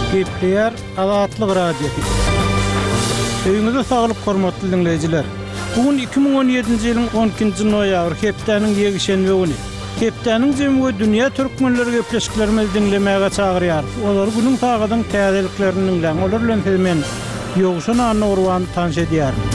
Gepleýär Azatlyk Radiosy. Öýüňize saglyk hormatly diňleýjiler. Bu gün 2017-nji ýylyň 12-nji noýabry hepdäniň ýekşenbe güni. Hepdäniň jemi we dünýä türkmenleri gepleşiklerimizi diňlemäge çagyrýarys. Olary günüň sagadyň täzeliklerini diňläň. Olar bilen sizi men, Ýowşan Annagurban tanyş edýärin.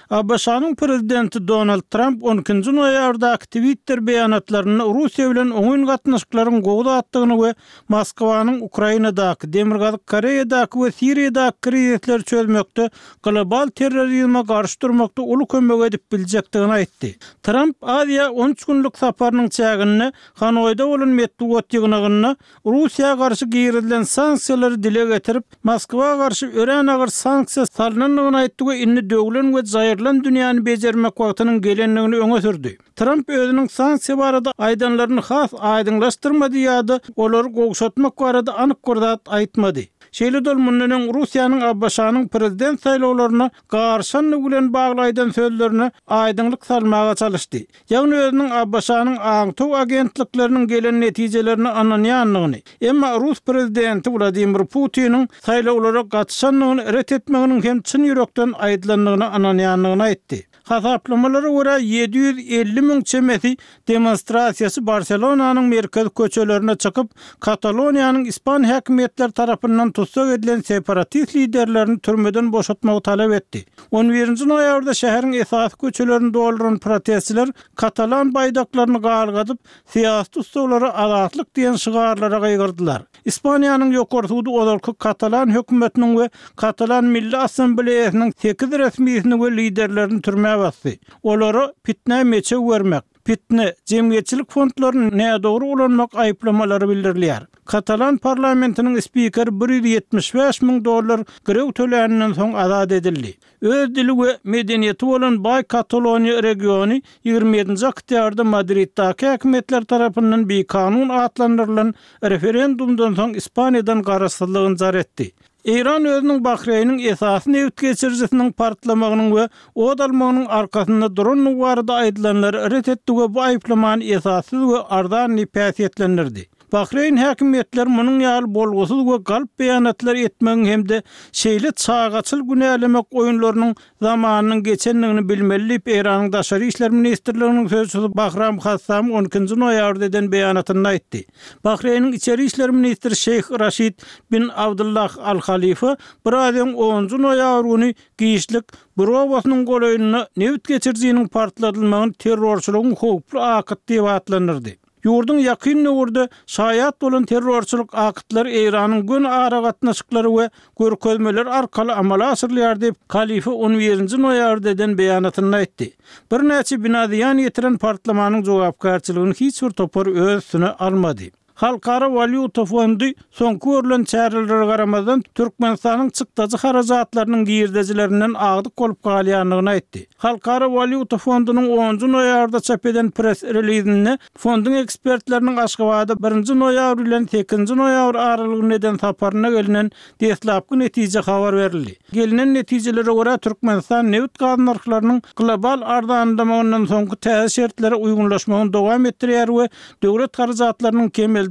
ABŞ-nyň prezidenti Donald Tramp on ikinji noýabrdaky Twitter beýanatlarynda Russiýa bilen oňyn gatnaşyklaryň gowy zatdygyny we Moskwanyň Ukrainadaky, Demirgazyk Koreýadaky we Siriýadaky krizisleri çözmekde global terrorizme garşy durmakda uly kömek edip biljekdigini aýtdy. Tramp Aziýa on üç günlük saparynyň çäginde Hanoýda bolan metbugat ýygnagynda Russiýa garşy girizilen sanksiýalary dile getirip, Moskwa garşy örän agyr sanksiýa salnandygyny aýtdy we indi döwlen we jaýrylan dünýäni bejermek wagtynyň gelendigini öňe sürdi. Tramp özüniň sanksiýa barada aýdanlaryny has aýdyňlaşdyrmady ýa-da olary gowşatmak barada anyk bir zat aýtmady. Şeýle-de ol mundan öň Russiýanyň ABŞ-nyň prezident saýlawlaryna garyşandygy bilen bagly aýdan sözlerine aýdyňlyk salmaga çalyşdy. Ýagny özüniň ABŞ-nyň aňtaw agentlikleriniň gelen netijelerine ynanýandygyny, emma rus prezidenti Wladimir Putiniň saýlawlara gatyşandygyny ret etmeginiň hem çyn ýürekden aýdylandygyna ynanýandygyny aýtdy. Hasaplamalara görä, 750 müň çemesi demonstrasiýaçy Barselonanyň merkezi köçelerine çykyp, Kataloniýanyň ispan häkimiýetleri tarapyndan tussag edilen separatist liderlerini türmeden boşatmagy talap etdi. On birinji noýabrda şäheriň esasy köçelerini dolduran protestçiler katalan baýdaklaryny galgadyp, syýasy tussaglara azatlyk diýen şygarlara gygyrdylar. Ispaniýanyň Ýokary sudy ozalky katalan hökümetiniň we Katalan Milli Assambleýasynyň sekiz resmisini we liderlerini türmä basdy. Olara pitnä meçew bermek, Pitne, jemgyýetçilik fondlaryny nädogry ulanmak aýyplamalary bildirilýär. Katalan parlamentiniň spikeri 175 müň dollar girew töläninden soň azat edildi. Öz dili we medeniýeti bolan baý Kataloniýa regiony 27-nji oktýabrda Madriddaky häkimiýetler tarapyndan bikanun atlandyrylan referendumdan soň Ispaniýadan garaşsyzlygyny jar etdi. Eýran özüniň Bahreýniň esasy nebit geçirijisiniň partlamagynyň we ot almagynyň arkasynda durandygy barada aýdylanlary ret etdi we bu aýyplamany esassyz we arzan diýip häsiýetlendirdi. Bahreýn häkimiýetleri munuň ýaly bolgusyz we galp beýanatlar etmegiň hem-de şeýle çagaçyl günälemek oýunlarynyň zamanynyň geçendigini bilmeli diýip, Eýranyň Daşary işler ministrliginiň sözçüsi Bahram Hassam on ikinji noýabrda eden beýanatynda aýtdy. Bahreýniň içeri işler ministri Şeýh Raşid bin Abdullah Al Halifa biraz öň onunjy noýabr güni giçlik bir obasynyň golaýynda nebit geçirijiniň partladylmagyny terrorçylygyň howply akyt diýip atlandyrdy. Ýurduň ýakyn döwürde şaýat bolan terrorçylyk aktlary Eýranyň göni aragatnaşyklary we görkezmeleri arkaly amala aşyrylýar diýip, Halifa on birinji noýabrda eden beýanatynda aýtdy. Birnäçe bina zyýan ýetiren partlamanyň jogapkärçiligini hiç bir topar öz üstüne almady. Halkara walýuta fondy soňky görlen çärelere garamazdan, Türkmenistanyň çykdajy harajatlarynyň girdejilerinden agdyk bolup galýandygyny aýtdy. Halkara walýuta fondunyň onunjy noýabrda çap eden press-relizinde fonduň ekspertleriniň Aşgabada birinji noýabr bilen sekizinji noýabr aralygynda eden saparynda gelnen deslapky netije habar berildi. Gelnen netijelere görä, Türkmenistan nebit-gaz nyrhlarynyň global arzanlamagyndan soňky täze şertlere uýgunlaşmagyny dowam etdirýär we döwlet harajatlarynyň kemeldilmegi,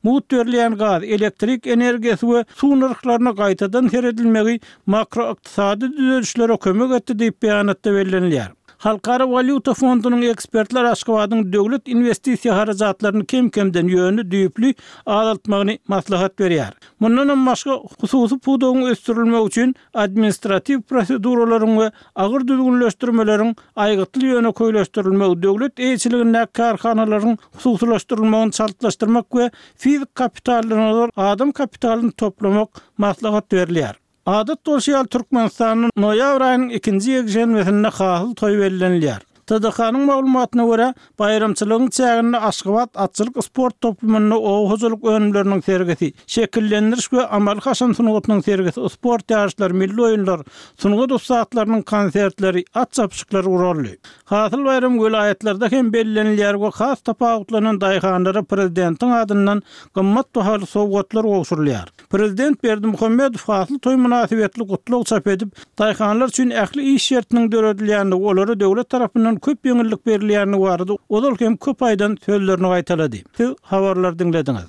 mugt berilýän gaz, elektrik energiýasy we suw nyrhlaryna gaýtadan seredilmegi makroykdysady düzelişlere kömek etdi diýip, beýanatda bellenilýär. Halkara walýuta fondunyň ekspertleri Aşgabadyň döwlet inwestisiýa harajatlaryny kem-kemden, ýöne düýpli azaltmagyny maslahat berýär. Mundanam başga, hususy pudagyň ösdürilmegi üçin administratiw proseduralaryň we agyr düzgünleşdirmeleriň aýgytly ýönekeýleşdirilmegi, döwlet eýeçiligindäki kärhanalaryň hususylaşdyrylmagyny çaltlaşdyrmak we fizik kapitaldan ozal adam kapitalyny toplamak maslahat berilýär. Adat bolşy ýaly, Türkmenistanda noýabr aýynyň ikinji ýekşenbesinde Hasyl toýy bellenilýär. TDH-nyň maglumatyna görä, baýramçylygyň çäginde Aşgabat atçylyk sport toplumynda oba hojalyk önümleriniň sergisi, şekillendiriş we amaly-haşam sungatynyň sergisi, sport ýaryşlary, milli oýunlar, sungat ussatlarynyň konsertleri, at çapyşyklary guraldy. Hasyl baýramy welaýatlarda hem bellenilýär we has tapawutlanan daýhanlara prezidentiň adyndan gymmat bahaly sowgatlar gowşurylýar. Prezident Berdimuhamedow Hasyl toýy mynasybetli gutlag çap edip, daýhanlar üçin ähli iş şertiniň döredilýändigi, olara döwlet tarapyndan köp ýeňillik berilýändigi barada ozal hem köp aýdan sözlerini gaýtalady. Siz habarlary diňlediňiz.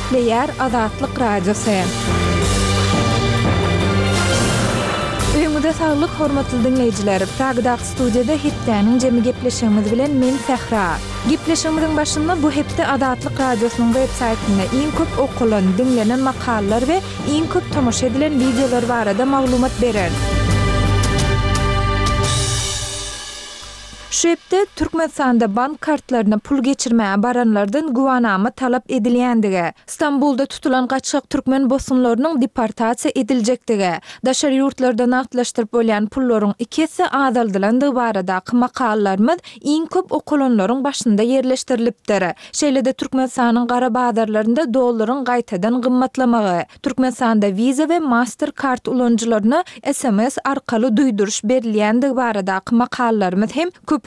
Gepleýär Azatlyk Radiosy. Öýüňize saglyk, hormatly diňleýjiler! Pragadaky studiýada hepdäniň jemi gepleşigimiz bilen men Sähra. Gepleşigimiziň başynda bu hepde Azatlyk Radiosynyň web saýtynda iň köp okalan, diňlenen makalalar we iň köp tomaşa edilen wideolar barada maglumat bereris. Şu hepde Türkmenistanda bank kartlaryna pul geçirmäge baranlardan güwanama talap edilýändigi, Stambulda tutulan gaçgak türkmen bosgunlarynyň deportasiýa ediljekdigi, daşary ýurtlarda nagtlaşdyryp bolýan pullaryň iki esse azaldylandygy baradaky makalalarymyz iň köp okalanlaryň başynda ýerleşdirilipdir. Şeýle-de Türkmenistanyň gara bazarlarynda dollaryň gaýtadan gymmatlamagy, Türkmenistanda Visa we Mastercard ulanyjylaryna sms arkaly duýduryş berilýändigi baradaky makalalarymyz hem köp.